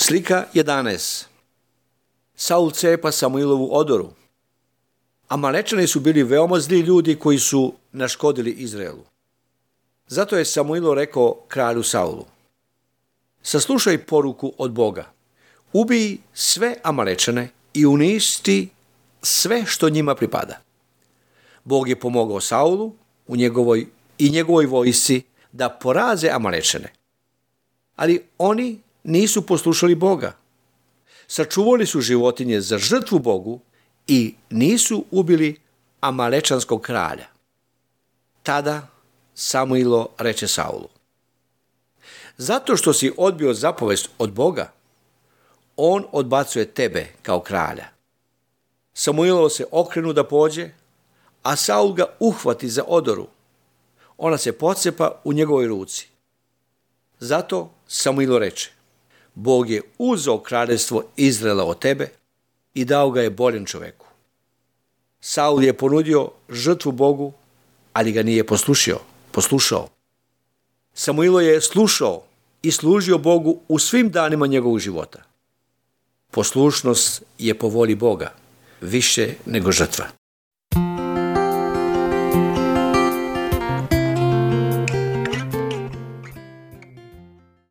Slika 11. Saul cepa Samuilovu odoru. Amalečani su bili veoma zli ljudi koji su naškodili Izraelu. Zato je Samuilo rekao kralju Saulu: saslušaj poruku od Boga. Ubij sve Amalečane i uništi sve što njima pripada. Bog je pomogao Saulu i njegovoj vojsci da poraze Amalečane. Ali oni nisu poslušali Boga. Sačuvali su životinje za žrtvu Bogu i nisu ubili Amalečanskog kralja. Tada Samuilo reče Saulu: zato što si odbio zapovest od Boga, on odbacuje tebe kao kralja. Samuilo se okrenu da pođe, a Saul ga uhvati za odoru. Ona se pocepa u njegovoj ruci. Zato Samuilo reče: Bog je uzeo kraljevstvo Izraela od tebe i dao ga je boljem čoveku. Saul je ponudio žrtvu Bogu, ali ga nije poslušao. Samuilo je slušao i služio Bogu u svim danima njegovog života. Poslušnost je po volji Boga, više nego žrtva.